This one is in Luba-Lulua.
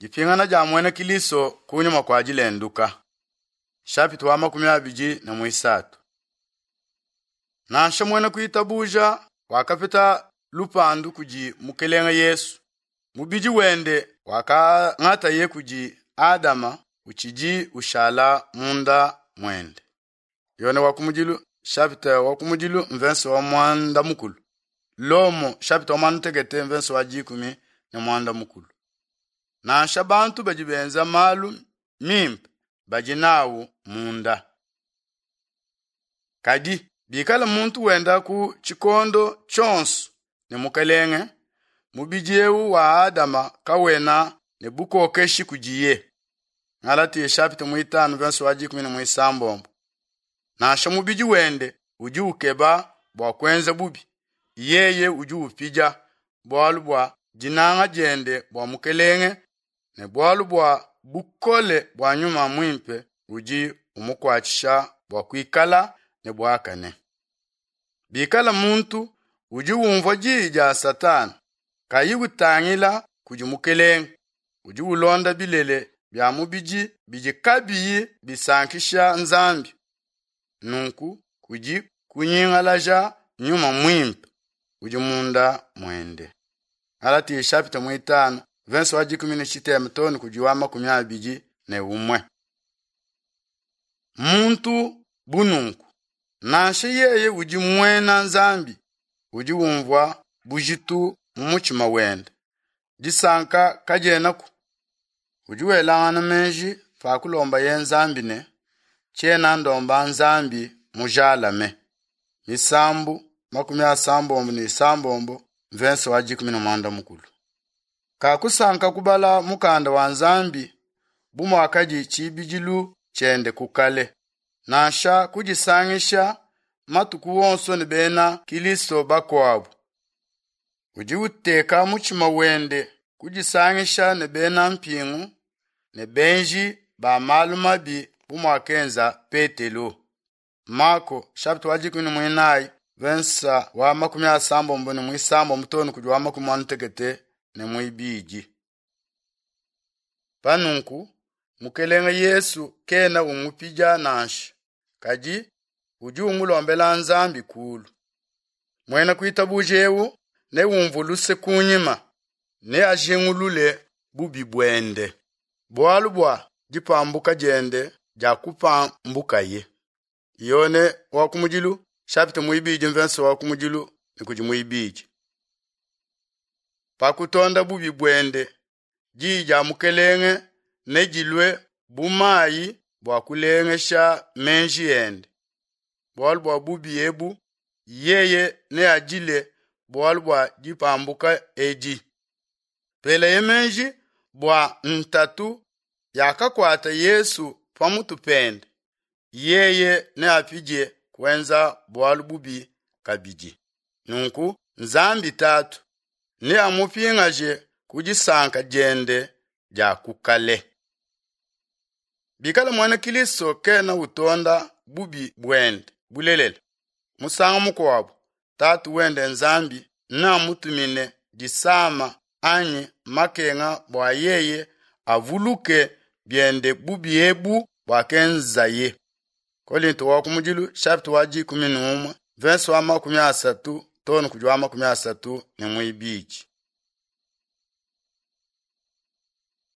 Dipingana dia muena Kilisto kunyima kua dilenduka. Chapitre wa 23. Nansha muena kuitabuja wakapeta lupandu kudi Mukelenge Yesu, mubidi wende wakangataye kudi Adama utshidi ushala munda muende. Yone wa kumudilu chapitre wa kumudilu mvense wa mwanda mukulu. Lomo chapitre wa mwanda mutekete mvense wa 15. Nansha bantu badi benza malu mimpe badi nawu munda. Kadi bikala muntu wenda ku tshikondo tshionso ne Mukelenge, mubidi eu wa Adama kawena ne bukokeshi kudiye. Galatia chapitre 5 verse wa 16. Nansha mubidi wende udi ukeba bua kuenza bubi, yeye udi upidia bualu bua dinanga diende bua Mukelenge ne bualu bua bukole bua Nyuma Muimpe udi umukuatshisha bua kuikala ne buakane. Bikala muntu udi umvua diyi dia Satana kayi utangila kudi Mukelenge, udi ulonda bilele bia mubidi bidi kabiyi bisankisha Nzambi, nunku kudi kunyingalaja Nyuma Muimpe udi munda muende. Galatia chapitre 5 verse wa 17 too ne kudi wa 21. Muntu bu nunku, nansha yeye udi muena Nzambi, udi umvua bujitu mu mutshima wende, disanka kadienaku. Udi welangana meji pa kulombaye Nzambi ne, tshiena ndomba Nzambi mujalame. Misambu 66 mvense wa 14. Kakusanka kubala mukanda wa Nzambi bu muakadi tshibidilu tshiende ku kale, nansha kudisangisha matuku wonso ne bena Kilisto bakuabu. Udi uteka mutshima wende kudisangisha ne bena mpingu ne benji ba malu mabi bu muakenza Petelo. Marko chapitre wa 14 verse wa 63 too ne kudi wa 82. Panunku Mukelenge Yesu kena umupidia nansha, kadi udi umulombela Nzambi kulu. Muena kuitabuja eu neumvue luse kunyima, neajingulule bubi buende, bualu bua dipambuka diende dia kupambukaye. Yone wa kumudilu chapitre 2 verse wa kumudilu ne kudi muibidi. Pa kutonda bubi buende, diyi dia Mukelenge nedilue bu mayi bua kulengesha meji ende. Bualu bua bubi ebu, yeye neadile bualu bua dipambuka edi. Peleye meji bua ntatu yakakuata Yesu pamutu pende, yeye neapidie kuenza bualu bubi kabidi. Nunku Nzambi Tatu neamupingaje ku disanka diende dia ku kale. Bikala muena Kilisto kena utonda bubi buende bulelela, musangu mukuabu Tatu wende Nzambi neamutumine disama anyi makenga bua yeye avuluke biende bubi ebu buakenzaye. Kolinto wa kumudilu chapitre wa 11 verse wa 30 too ne kudi wa 32.